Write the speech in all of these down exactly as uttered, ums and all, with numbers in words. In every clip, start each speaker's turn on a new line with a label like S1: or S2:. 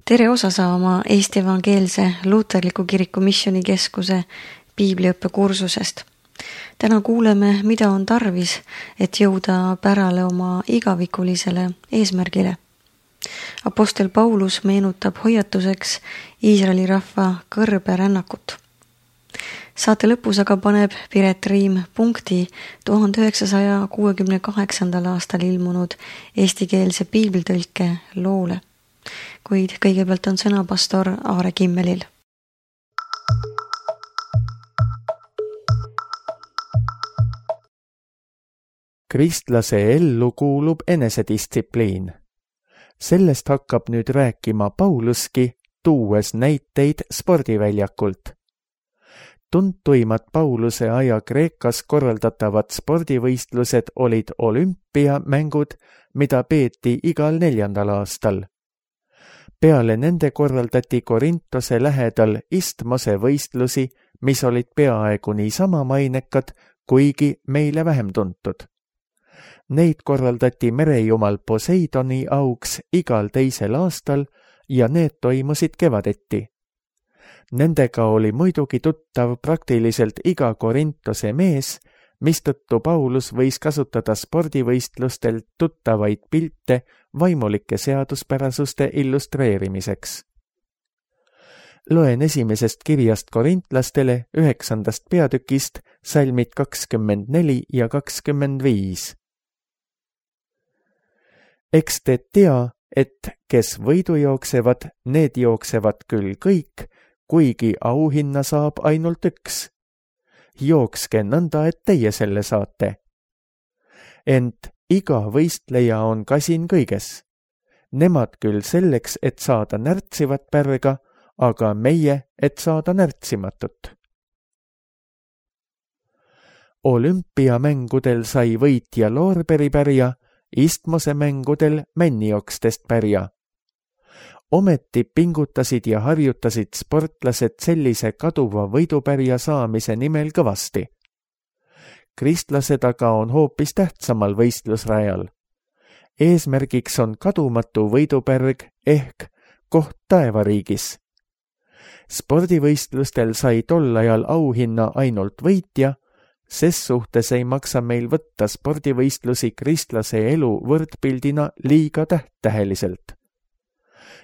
S1: tere osa saama Eesti Evangeelse Luterliku Kiriku Missioonikeskuse piibliõppe kursusest. Täna kuuleme, mida on tarvis, et jõuda pärale oma igavikulisele eesmärgile. Apostel Paulus meenutab hoiatuseks Iisraeli rahva kõrberännakut. Saate lõpus aga paneb Piret Riim punkti tuhande üheksasaja kuuekümne kaheksandal aastal ilmunud eestikeelse piiblitõlke loole. Kuid kõigepealt on sõna pastor Aare Kimmelil.
S2: Kristlase ellu kuulub enesedistsipliin. Sellest hakkab nüüd rääkima Pauluski, tuues näiteid spordiväljakult. Tuntuimad Pauluse aja Kreekas korraldatavad spordivõistlused olid olümpiamängud, mida peeti igal neljandal aastal. Peale nende korraldati Korintose lähedal Istmose võistlusi, mis olid peaaegu niisama mainekad, kuigi meile vähem tuntud. Neid korraldati merejumal Poseidoni auks igal teisel aastal ja need toimusid kevadeti. Nendega oli muidugi tuttav praktiliselt iga Korintose mees, mistõttu Paulus võis kasutada spordivõistlustel tuttavaid pilte vaimulike seaduspärasuste illustreerimiseks. Loen esimesest kirjast korintlastele üheksandast peatükist salmid kakskümmend neli ja kakskümmend viis. Eks te tea, et kes võidu jooksevad, need jooksevad küll kõik, kuigi auhinna saab ainult üks. Jookske nõnda, et teie selle saate. Ent iga võistleja on kasin kõiges. Nemad küll selleks, et saada närtsivat pärga, aga meie, et saada närtsimatut. Olümpiamängudel sai võitja loorberipärja, Istmose mängudel männiokstest pärja. Ometi pingutasid ja harjutasid sportlased sellise kaduva võidupärja saamise nimel kõvasti. Kristlased aga on hoopis tähtsamal võistlusrajal. Eesmärgiks on kadumatu võidupärg ehk koht taevariigis. Spordivõistlustel sai tol ajal auhinna ainult võitja, ses suhtes ei maksa meil võtta spordivõistlusi kristlase elu võrdpildina liiga tähttäheliselt.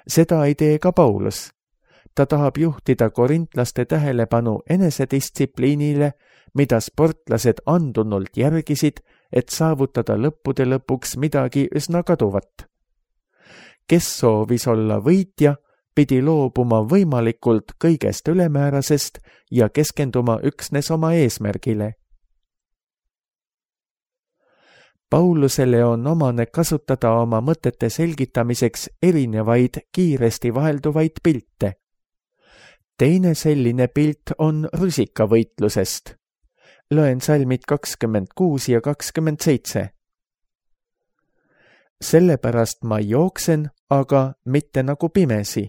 S2: Seda ei tee ka Paulus. Ta tahab juhtida korintlaste tähelepanu enesedistsipliinile, mida sportlased andunult järgisid, et saavutada lõppude lõpuks midagi üsna kaduvat. Kes soovis olla võitja, pidi loobuma võimalikult kõigest ülemäärasest ja keskenduma üksnes oma eesmärgile. Paulusele on omane kasutada oma mõtete selgitamiseks erinevaid kiiresti vahelduvaid pilte. Teine selline pilt on rusikavõitlusest. Loen salmid kakskümmend kuus ja kakskümmend seitse. Sellepärast ma jooksen, aga mitte nagu pimesi.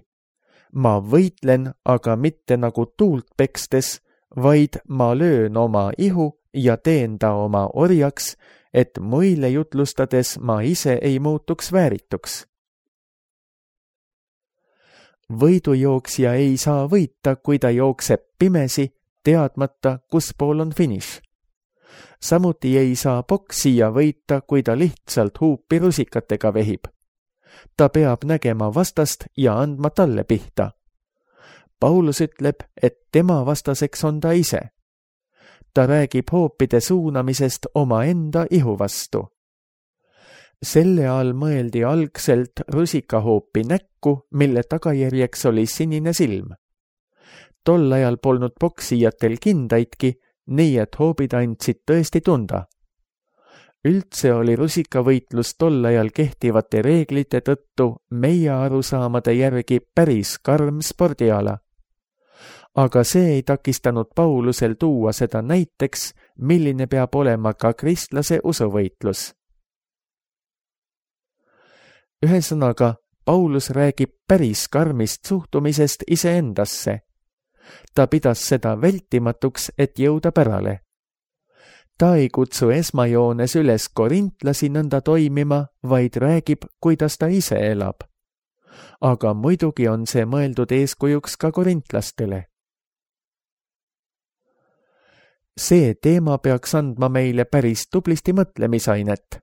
S2: Ma võitlen, aga mitte nagu tuult pekstes, vaid ma löön oma ihu ja teen ta oma orjaks, et muille jutlustades ma ise ei muutuks väärituks. Võidujooksja ei saa võita, kui ta jookseb pimesi, teadmata, kus pool on finiš. Samuti ei saa poksija võita, kui ta lihtsalt huupi rusikatega vehib. Ta peab nägema vastast ja andma talle pihta. Paulus ütleb, et tema vastaseks on ta ise. Ta räägib hoopide suunamisest oma enda ihu vastu. Selle all mõeldi algselt rusikahoopi näkku, mille tagajärjeks oli sinine silm. Tol ajal polnud poksijatel kindaidki, nii et hoobid andsid tõesti tunda. Üldse oli rusikavõitlus tol ajal kehtivate reeglite tõttu meie arusaamade järgi päris karm spordiala. Aga see ei takistanud Paulusel tuua seda näiteks, milline peab olema ka kristlase usuvõitlus. Ühesõnaga, Paulus räägib päris karmist suhtumisest iseendasse. Ta pidas seda vältimatuks, et jõuda pärale. Ta ei kutsu esmajoones üles korintlasi nõnda toimima, vaid räägib, kuidas ta ise elab. aga muidugi on see mõeldud eeskujuks ka korintlastele. See teema peaks andma meile päris tublisti mõtlemisainet,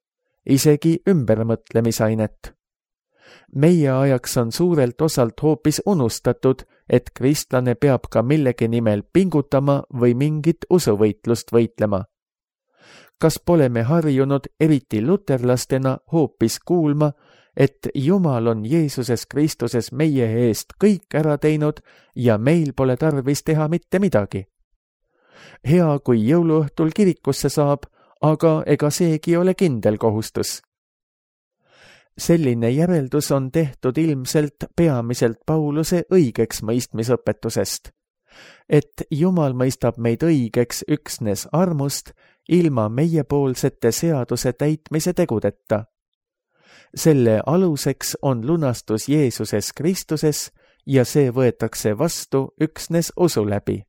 S2: isegi ümbermõtlemisainet. Meie ajaks on suurelt osalt hoopis unustatud, et kristlane peab ka millegi nimel pingutama või mingit usuvõitlust võitlema. Kas pole me harjunud eriti luterlastena hoopis kuulma, et Jumal on Jeesuses Kristuses meie eest kõik ära teinud ja meil pole tarvis teha mitte midagi? Hea, kui jõuluõhtul kirikusse saab, aga ega seegi ole kindel kohustus. Selline järeldus on tehtud ilmselt peamiselt Pauluse õigeks mõistmisõpetusest, et Jumal mõistab meid õigeks üksnes armust ilma meiepoolsete seaduse täitmise tegudeta. Selle aluseks on lunastus Jeesuses Kristuses ja see võetakse vastu üksnes usu läbi.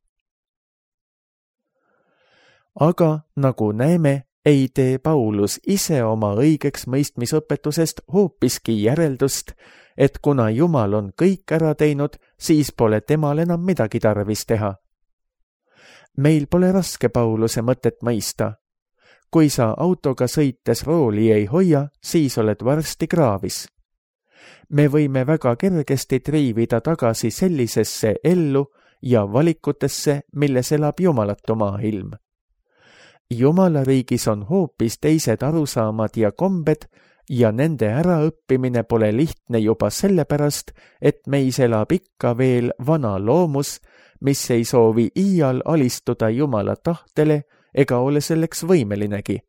S2: Aga nagu näeme, ei tee Paulus ise oma õigeks mõistmisõpetusest hoopiski järeldust, et kuna Jumal on kõik ära teinud, siis pole temal enam midagi tarvis teha. Meil pole raske Pauluse mõtet mõista. Kui sa autoga sõites rooli ei hoia, siis oled varsti kraavis. Me võime väga kergesti triivida tagasi sellisesse ellu ja valikutesse, milles elab jumalatu maailm. Jumala riigis on hoopis teised arusaamad ja kombed ja nende äraõppimine pole lihtne juba sellepärast, et meis elab ikka veel vana loomus, mis ei soovi iial alistuda Jumala tahtele ega ole selleks võimelinegi.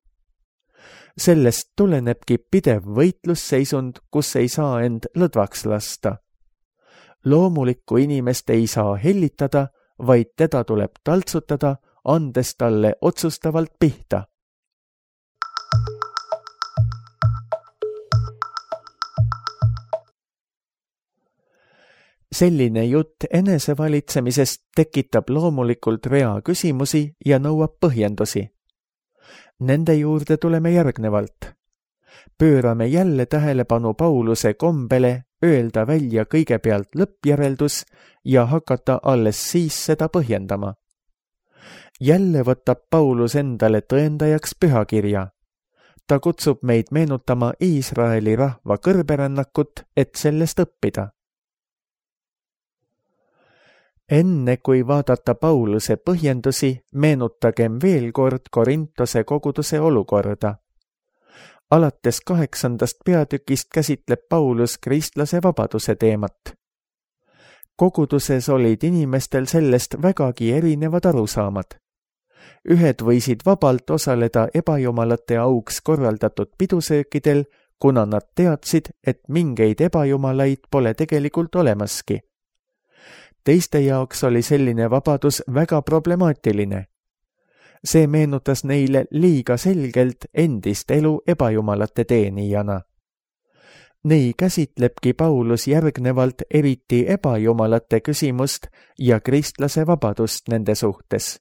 S2: Sellest tulenebki pidev võitlusseisund, kus ei saa end lõdvaks lasta. Loomulikku inimest ei saa hellitada, vaid teda tuleb taltsutada, andes talle otsustavalt pihta. Selline jutt enesevalitsemisest tekitab loomulikult rea küsimusi ja nõuab põhjendusi. Nende juurde tuleme järgnevalt. Pöörame jälle tähelepanu Pauluse kombele öelda välja kõigepealt lõppjäreldus ja hakata alles siis seda põhjendama. Jälle võtab Paulus endale tõendajaks pühakirja. Ta kutsub meid meenutama Iisraeli rahva kõrberännakut, et sellest õppida. Enne kui vaadata Pauluse põhjendusi, meenutagem veel kord Korintose koguduse olukorda. Alates kaheksandast peatükist käsitleb Paulus kristlase vabaduse teemat. Koguduses olid inimestel sellest vägagi erinevad arusaamad. Ühed võisid vabalt osaleda ebajumalate auks korraldatud pidusöökidel, kuna nad teadsid, et mingeid ebajumalaid pole tegelikult olemaski. Teiste jaoks oli selline vabadus väga problemaatiline. See meenutas neile liiga selgelt endist elu ebajumalate teenijana. Nii käsitlebki Paulus järgnevalt eriti ebajumalate küsimust ja kristlase vabadust nende suhtes.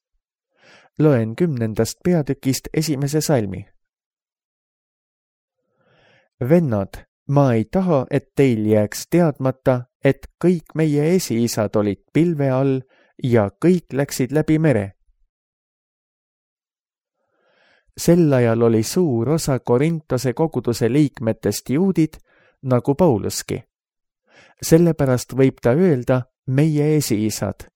S2: Loen kümnendast peatükist esimese salmi. Vennad, ma ei taha, et teil jääks teadmata, et kõik meie esiisad olid pilve all ja kõik läksid läbi mere. Sel ajal oli suur osa Korintose koguduse liikmetest juudid, nagu Pauluski. Sellepärast võib ta öelda meie esiisad.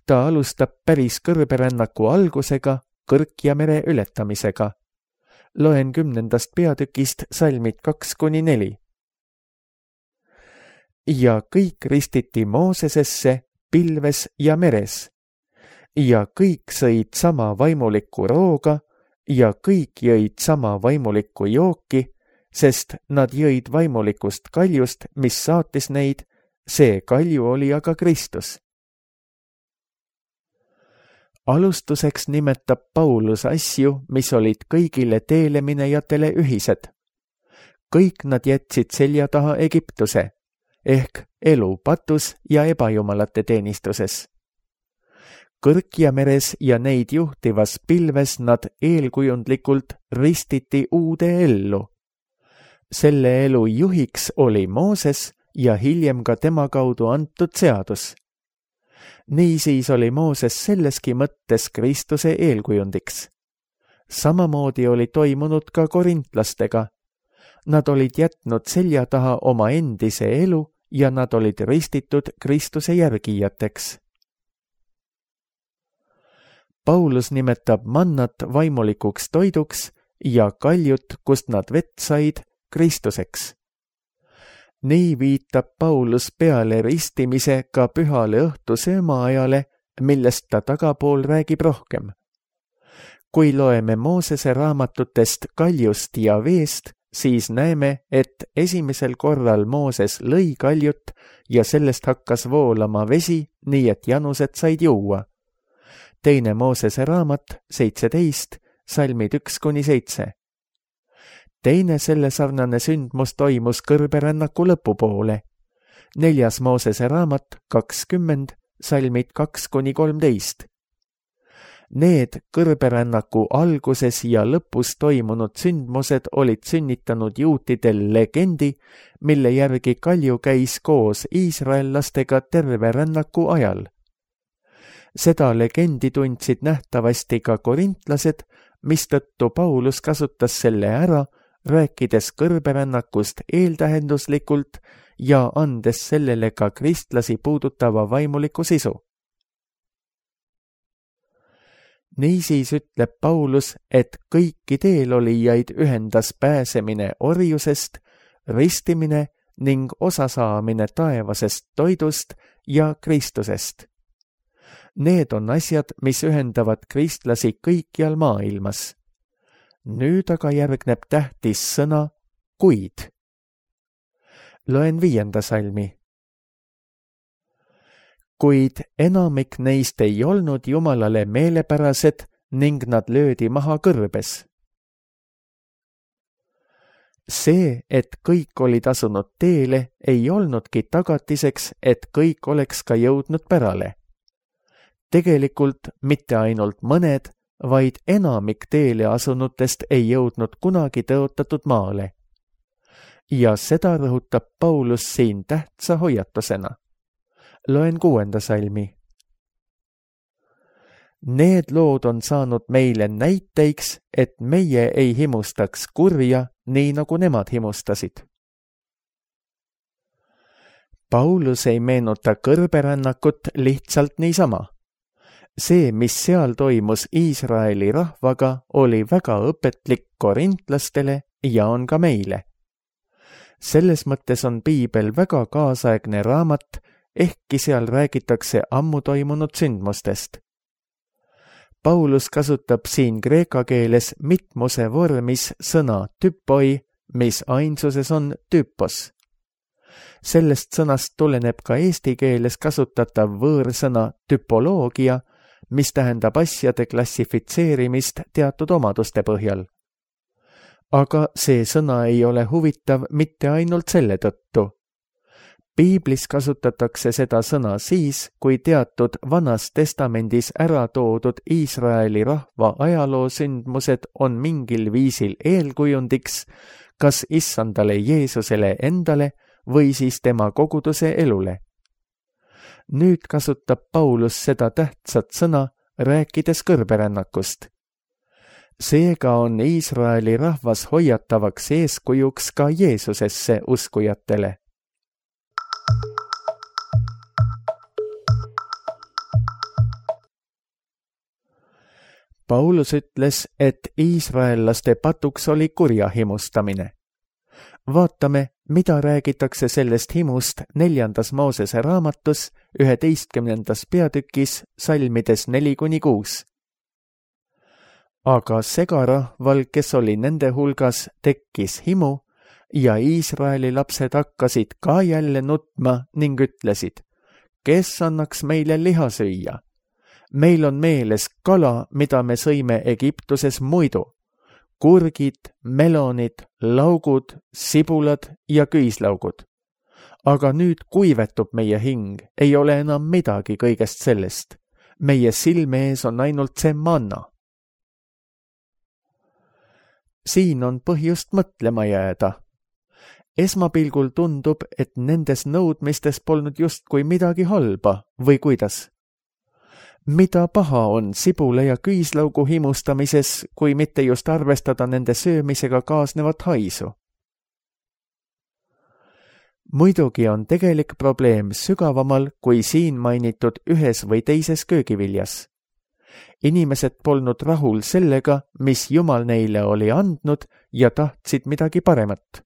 S2: Ta alustab päris kõrberännaku algusega, Kõrk ja mere ületamisega. Loen kümnendast peatükist salmid kaks kuni neli. Ja kõik ristiti Moosesesse, pilves ja meres. Ja kõik sõid sama vaimulikku rooga ja kõik jõid sama vaimulikku jooki, sest nad jõid vaimulikust kaljust, mis saatis neid, see kalju oli aga Kristus. Alustuseks nimetab Paulus asju, mis olid kõigile teeleminejatele ühised. Kõik nad jätsid selja taha Egiptuse, ehk elu patus ja ebajumalate teenistuses. Kõrk ja meres ja neid juhtivas pilves nad eelkujundlikult ristiti uude ellu. Selle elu juhiks oli Mooses ja hiljem ka tema kaudu antud seadus. Niisiis oli Mooses selleski mõttes Kristuse eelkujundiks. Samamoodi oli toimunud ka korintlastega. Nad olid jätnud selja taha oma endise elu ja nad olid ristitud Kristuse järgijateks. Paulus nimetab mannat vaimulikuks toiduks ja kaljut, kust nad vett said, Kristuseks. Nii viitab Paulus peale ristimise ka pühale õhtusöömaajale, millest ta tagapool räägib rohkem. Kui loeme Moosese raamatutest kaljust ja veest, siis näeme, et esimesel korral Mooses lõi kaljut ja sellest hakkas voolama vesi, nii et janused said juua. Teine Moosese raamat, seitseteist, salmid üks kuni seitse. Teine selle sarnane sündmus toimus kõrberännaku lõpupoole. Neljas Moosese raamat, kakskümmend, salmid kaks kuni kolmteist. Need kõrberännaku alguses ja lõpus toimunud sündmused olid sünnitanud juutidel legendi, mille järgi kalju käis koos iisraellastega terve rännaku ajal. Seda legendi tundsid nähtavasti ka korintlased, mistõttu Paulus kasutas selle ära, rääkides kõrberännakust eeltähenduslikult ja andes sellele ka kristlasi puudutava vaimuliku sisu. Niisiis ütleb Paulus, et kõiki teelolijaid ühendas pääsemine orjusest, ristimine ning osasaamine taevasest toidust ja Kristusest. Need on asjad, mis ühendavad kristlasi kõikjal maailmas. Nüüd aga järgneb tähtis sõna kuid. Loen viienda salmi. Kuid enamik neist ei olnud Jumalale meelepärased ning nad löödi maha kõrbes. See, et kõik olid asunud teele, ei olnudki tagatiseks, et kõik oleks ka jõudnud pärale. Tegelikult mitte ainult mõned, vaid enamik teele asunutest ei jõudnud kunagi tõotatud maale. Ja seda rõhutab Paulus siin tähtsa hoiatusena. Loen kuuenda salmi. Need lood on saanud meile näiteiks, et meie ei himustaks kurja, nii nagu nemad himustasid. Paulus ei meenuta kõrberännakut lihtsalt niisama. See, mis seal toimus Iisraeli rahvaga, oli väga õpetlik korintlastele ja on ka meile. Selles mõttes on piibel väga kaasaegne raamat, ehkki seal räägitakse ammu toimunud sündmustest. Paulus kasutab siin kreeka keeles mitmuse vormis sõna typoi, mis ainsuses on typos. Sellest sõnast tuleneb ka eesti keeles kasutatav võõrsõna typoloogia, mis tähendab asjade klassifitseerimist teatud omaduste põhjal. Aga see sõna ei ole huvitav mitte ainult selle tõttu. Piiblis kasutatakse seda sõna siis, kui teatud Vanas Testamendis ära toodud Iisraeli rahva ajaloosündmused on mingil viisil eelkujundiks, kas issandale Jeesusele endale või siis tema koguduse elule. Nüüd kasutab Paulus seda tähtsat sõna, rääkides kõrberännakust. Seega on Iisraeli rahvas hoiatavaks eeskujuks ka Jeesusesse uskujatele. Paulus ütles, et iisraellaste patuks oli kurja himustamine. Vaatame, mida räägitakse sellest himust neljandas Moosese raamatus, üheteistkümnendas peatükis, salmides neli kuni kuus. Aga segarahval, kes oli nende hulgas, tekkis himu ja Iisraeli lapsed hakkasid ka jälle nutma ning ütlesid, kes annaks meile liha süüa? Meil on meeles kala, mida me sõime Egiptuses muidu. Kurgid, melonid, laugud, sibulad ja küüslaugud. Aga nüüd kuivetub meie hing, ei ole enam midagi kõigest sellest. Meie silme ees on ainult see manna. Siin on põhjust mõtlema jääda. esmapilgul tundub, et nendes nõudmistes polnud justkui midagi halba või kuidas. Mida paha on sibula ja küüslaugu himustamises, kui mitte just arvestada nende söömisega kaasnevat haisu? Muidugi on tegelik probleem sügavamal kui siin mainitud ühes või teises köögiviljas. Inimesed polnud rahul sellega, mis Jumal neile oli andnud ja tahtsid midagi paremat.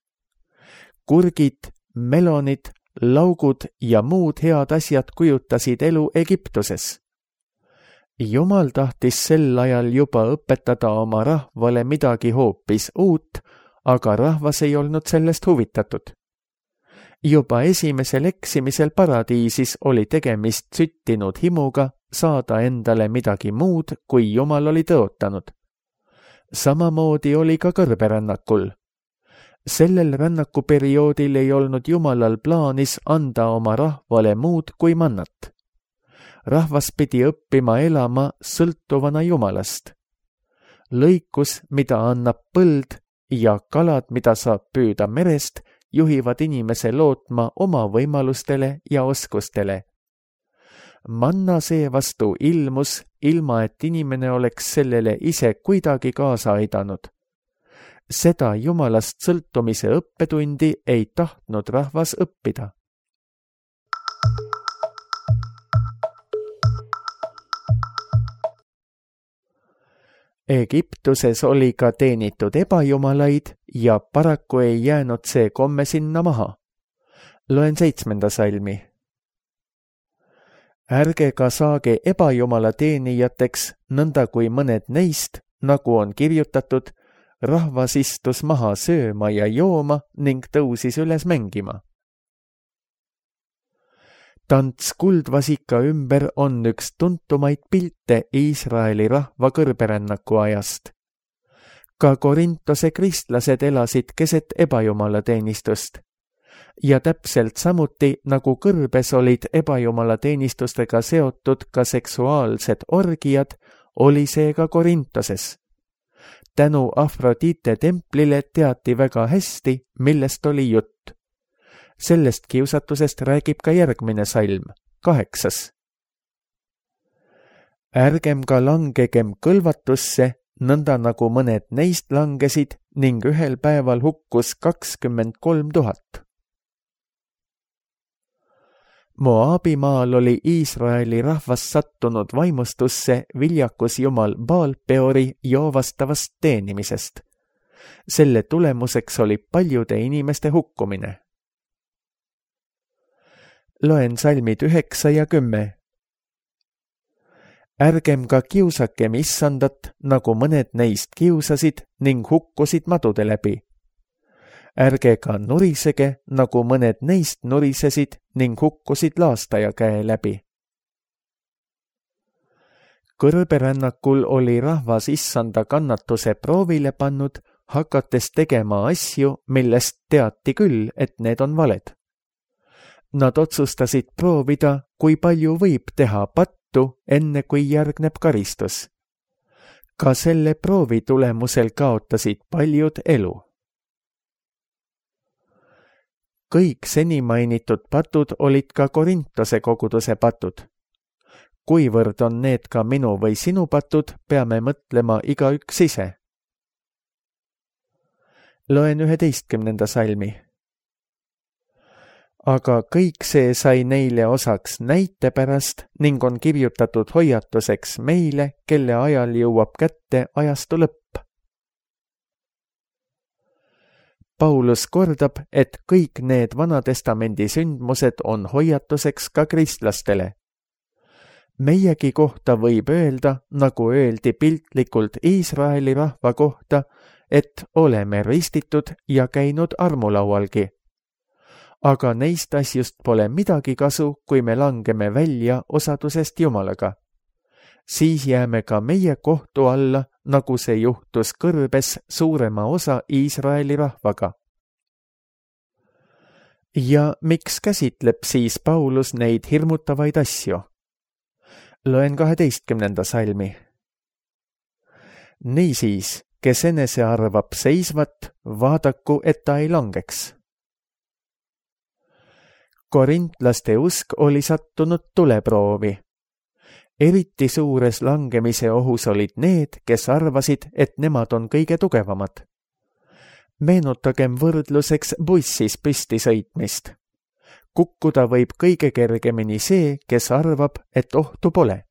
S2: Kurgid, melonid, laugud ja muud head asjad kujutasid elu Egiptuses. Jumal tahtis sel ajal juba õpetada oma rahvale midagi hoopis uut, aga rahvas ei olnud sellest huvitatud. Juba esimesel eksimisel paradiisis oli tegemist süttinud himuga saada endale midagi muud, kui Jumal oli tõotanud. Samamoodi oli ka kõrberännakul. Sellel rännakuperioodil ei olnud Jumalal plaanis anda oma rahvale muud kui mannat. Rahvas pidi õppima elama sõltuvana Jumalast. Lõikus, mida annab põld, ja kalad, mida saab püüda merest, juhivad inimese lootma oma võimalustele ja oskustele. Manna seevastu ilmus, ilma et inimene oleks sellele ise kuidagi kaasa aidanud. Seda Jumalast sõltumise õppetundi ei tahtnud rahvas õppida. Egiptuses oli ka teenitud ebajumalaid ja paraku ei jäänud see komme sinna maha. Loen seitsmenda salmi. Ärge ka saage ebajumala teenijateks, nõnda kui mõned neist, nagu on kirjutatud, rahvas istus maha sööma ja jooma ning tõusis üles mängima. Tants kuldvasika ümber on üks tuntumaid pilte Iisraeli rahva kõrberännaku ajast. Ka Korintose kristlased elasid keset ebajumala teenistust. Ja täpselt samuti, nagu kõrbes olid ebajumala teenistustega seotud ka seksuaalsed orgiad, oli see ka Korintoses. Tänu Afrodite templile teati väga hästi, millest oli jutt. Sellest kiusatusest räägib ka järgmine salm, kaheksas. Ärgem ka langegem kõlvatusse, nõnda nagu mõned neist langesid ning ühel päeval hukkus kakskümmend kolm tuhat. Moabimaal oli Iisraeli rahvas sattunud vaimustusse viljakus jumal Baal-Peori joovastavast teenimisest. Selle tulemuseks oli paljude inimeste hukkumine. Loen salmid üheksa ja kümme. Ärgem ka kiusakem issandat, nagu mõned neist kiusasid ning hukkusid madude läbi. Ärge ka nurisege, nagu mõned neist nurisesid ning hukkusid laastaja käe läbi. Kõrberännakul oli rahvas issanda kannatuse proovile pannud, hakates tegema asju, millest teati küll, et need on valed. Nad otsustasid proovida, kui palju võib teha pattu, enne kui järgneb karistus. Ka selle proovi tulemusel kaotasid paljud elu. Kõik seni mainitud patud olid ka Korintose koguduse patud. Kuivõrd on need ka minu või sinu patud, peame mõtlema igaüks ise. Loen üheteistkümnenda salmi. Aga kõik see sai neile osaks näite pärast ning on kirjutatud hoiatuseks meile, kelle ajal jõuab kätte ajastu lõpp. Paulus kordab, et kõik need Vanatestamendi sündmused on hoiatuseks ka kristlastele. Meiegi kohta võib öelda, nagu öeldi piltlikult Iisraeli rahva kohta, et oleme ristitud ja käinud armulaualgi. Aga neist asjust pole midagi kasu, kui me langeme välja osadusest Jumalaga. Siis jääme ka meie kohtu alla, nagu see juhtus kõrbes suurema osa Iisraeli rahvaga. Ja miks käsitleb siis Paulus neid hirmutavaid asju? Loen kaheteistkümnenda salmi. Niisiis, kes enese arvab seisvat, vaadaku, et ta ei langeks. Korintlaste usk oli sattunud tuleproovi. Eriti suures langemise ohus olid need, kes arvasid, et nemad on kõige tugevamad. Meenutagem võrdluseks bussis püsti sõitmist. Kukkuda võib kõige kergemini see, kes arvab, et ohtu pole.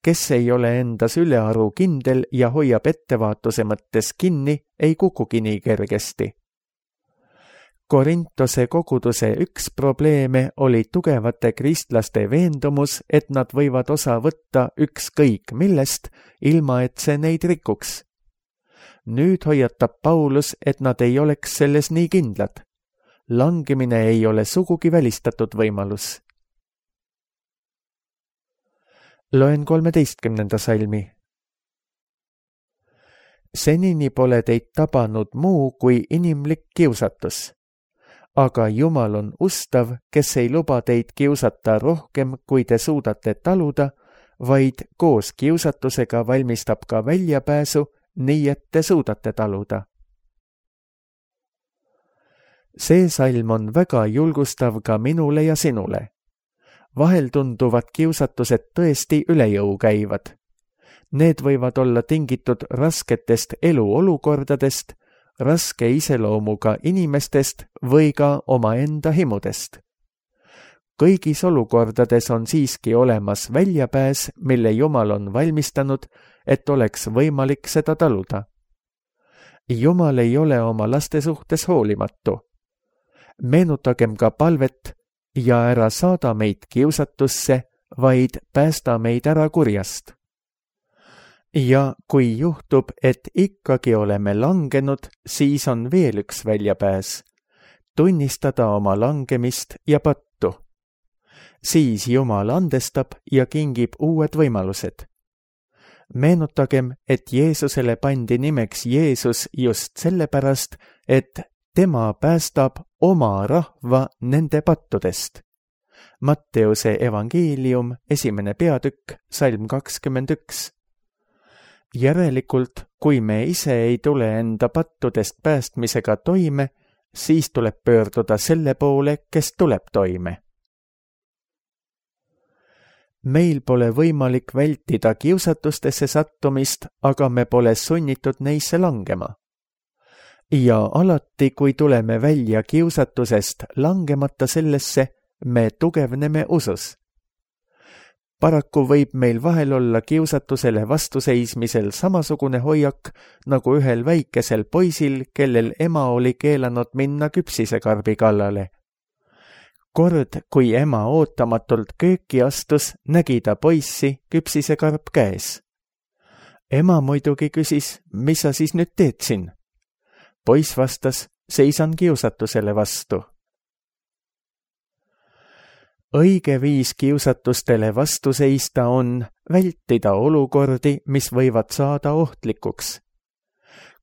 S2: Kes ei ole endas ülearu kindel ja hoiab ettevaatuse mõttes kinni, ei kukugi nii kergesti. Korintose koguduse üks probleeme oli tugevate kristlaste veendumus, et nad võivad osa võtta ükskõik millest, ilma et see neid rikuks. Nüüd hoiatab Paulus, et nad ei oleks selles nii kindlad. Langemine ei ole sugugi välistatud võimalus. Loen kolmeteistkümnenda salmi. Senini pole teid tabanud muu kui inimlik kiusatus. Aga Jumal on ustav, kes ei luba teid kiusata rohkem, kui te suudate taluda, vaid koos kiusatusega valmistab ka väljapääsu, nii et te suudate taluda. See salm on väga julgustav ka minule ja sinule. Vahel tunduvad kiusatused tõesti üle jõu käivad. Need võivad olla tingitud rasketest eluolukordadest, raske iseloomuga inimestest või ka omaenda himudest. Kõigis olukordades on siiski olemas väljapääs, mille Jumal on valmistanud, et oleks võimalik seda taluda. Jumal ei ole oma laste suhtes hoolimatu. Meenutagem ka palvet ja ära saada meid kiusatusse, vaid päästa meid ära kurjast. Ja kui juhtub, et ikkagi oleme langenud, siis on veel üks väljapääs. Tunnistada oma langemist ja pattu. Siis Jumal andestab ja kingib uued võimalused. Meenutagem, et Jeesusele pandi nimeks Jeesus just sellepärast, et tema päästab oma rahva nende pattudest. Matteuse evangeelium, esimene peatükk, salm kakskümmend üks. Järelikult, kui me ise ei tule enda pattudest päästmisega toime, siis tuleb pöörduda selle poole, kes tuleb toime. Meil pole võimalik vältida kiusatustesse sattumist, aga me pole sunnitud neisse langema. Ja alati, kui tuleme välja kiusatusest langemata sellesse, me tugevneme usus. Paraku võib meil vahel olla kiusatusele vastuseismisel samasugune hoiak nagu ühel väikesel poisil, kellel ema oli keelanud minna küpsisekarbi kallale. Kord, kui ema ootamatult kööki astus, nägi ta poissi küpsisekarp käes. Ema muidugi küsis, mis sa siis nüüd teed siin? Poiss vastas, seisan kiusatusele vastu. Õige viis kiusatustele vastu seista on vältida olukordi, mis võivad saada ohtlikuks.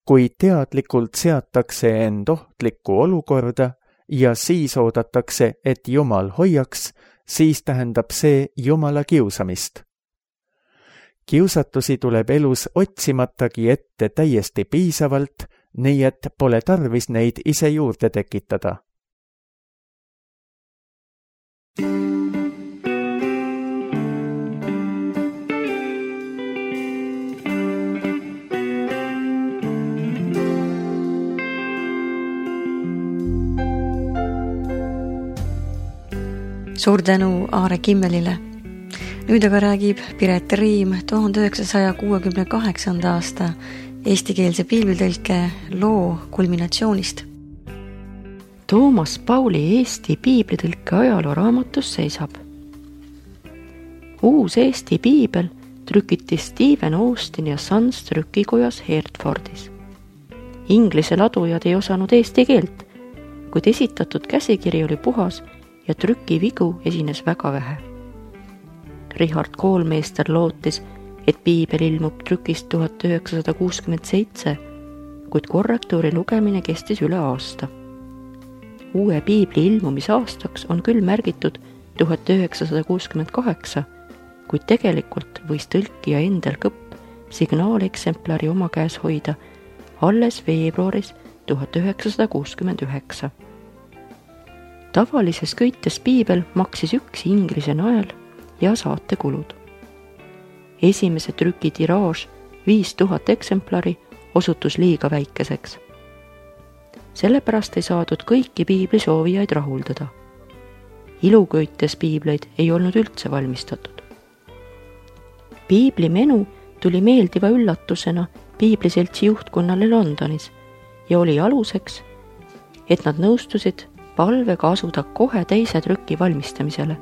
S2: Kui teadlikult seatakse end ohtlikku olukorda ja siis oodatakse, et Jumal hoiaks, siis tähendab see Jumala kiusamist. Kiusatusi tuleb elus otsimatagi ette täiesti piisavalt, nii et pole tarvis neid ise juurde tekitada.
S1: Suur tänu Aare Kimmelile. Nüüd aga räägib Piret Riim tuhande üheksasaja kuuekümne kaheksanda aasta eestikeelse piiblitõlke loo kulminatsioonist.
S3: Toomas Pauli Eesti piiblitõlke ajalooraamatus seisab. Uus Eesti piibel trükiti Stephen Austin ja Sons trükikojas Hertfordis. Inglise ladujad ei osanud eesti keelt, kuid esitatud käsikiri oli puhas ja trükivigu esines väga vähe. Richard Koolmeister lootis, et piibel ilmub trükist tuhat üheksasada kuuskümmend seitse, kuid korrektuuri lugemine kestis üle aasta. Uue piibli ilmumisaastaks on küll märgitud tuhat üheksasada kuuskümmend kaheksa, kuid tegelikult võis tõlkija endal kõpp signaaleksemplari oma käes hoida alles veebruaris tuhat üheksasada kuuskümmend üheksa. tavalises köites piibel maksis üks inglise nael ja saatekulud. Esimese trüki tiraaž viis tuhat eksemplari osutus liiga väikeseks. Sellepärast ei saadud kõiki piibli soovijaid rahuldada. Iluköites piibleid ei olnud üldse valmistatud. Piibli menu tuli meeldiva üllatusena piibliseltsi juhtkonnale Londonis ja oli aluseks, et nad nõustusid palvega asuda kohe teise trüki valmistamisele,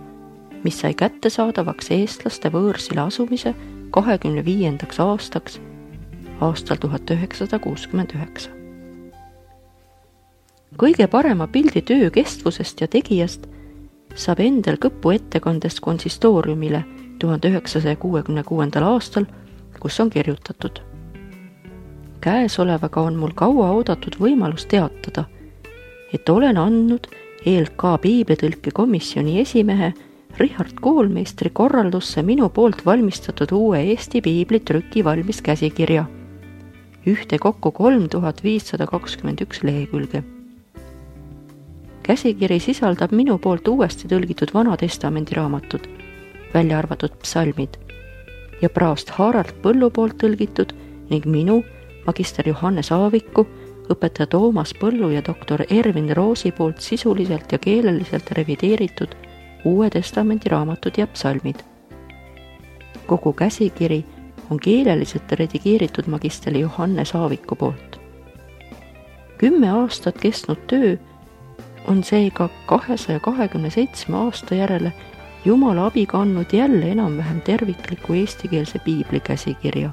S3: mis sai kättesaadavaks eestlaste võõrsile asumise kahekümne viiendaks aastaks aastal tuhat üheksasada kuuskümmend üheksa. Kõige parema pildi töö kestvusest ja tegijast saab endal kõppu ettekandest konsistooriumile tuhande üheksasaja kuuekümne kuuendal aastal, kus on kirjutatud. Käesolevaga on mul kaua oodatud võimalus teatada, et olen andnud E L K piiblitõlke komisjoni esimehe Richard Koolmeistri korraldusse minu poolt valmistatud uue Eesti piibli trüki valmis käsikirja, ühte kokku kolm tuhat viissada kakskümmend üks lehekülge. Käsikiri sisaldab minu poolt uuesti tõlgitud Vana Testamendi raamatud, välja arvatud psalmid, ja praost Harald Põllu poolt tõlgitud ning minu, magister Johannes Aaviku, õpetaja Toomas Põllu ja doktor Ervin Roosi poolt sisuliselt ja keeleliselt revideeritud Uue Testamendi raamatud ja psalmid. Kogu käsikiri on keeleliselt redigeeritud magister Johannes Aaviku poolt. Kümme aastat kestnud töö on seega kahesaja kahekümne seitsme aasta järele Jumala abiga andnud jälle enam-vähem tervikliku eestikeelse piibli käsikirja.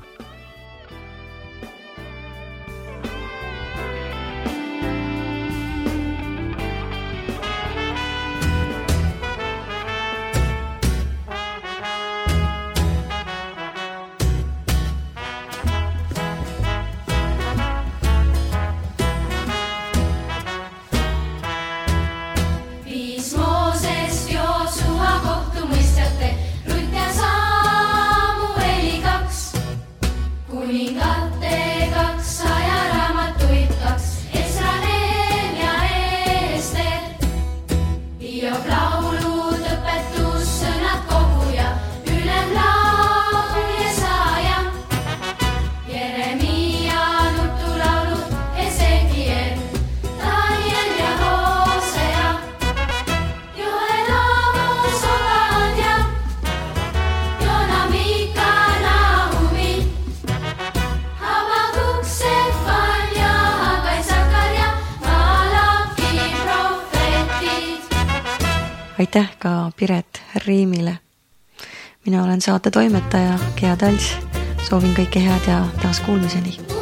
S1: Aitäh ka Piret Riimile. Mina olen saate toimetaja Gea Tals. Soovin kõike head ja taas kuulmiseni.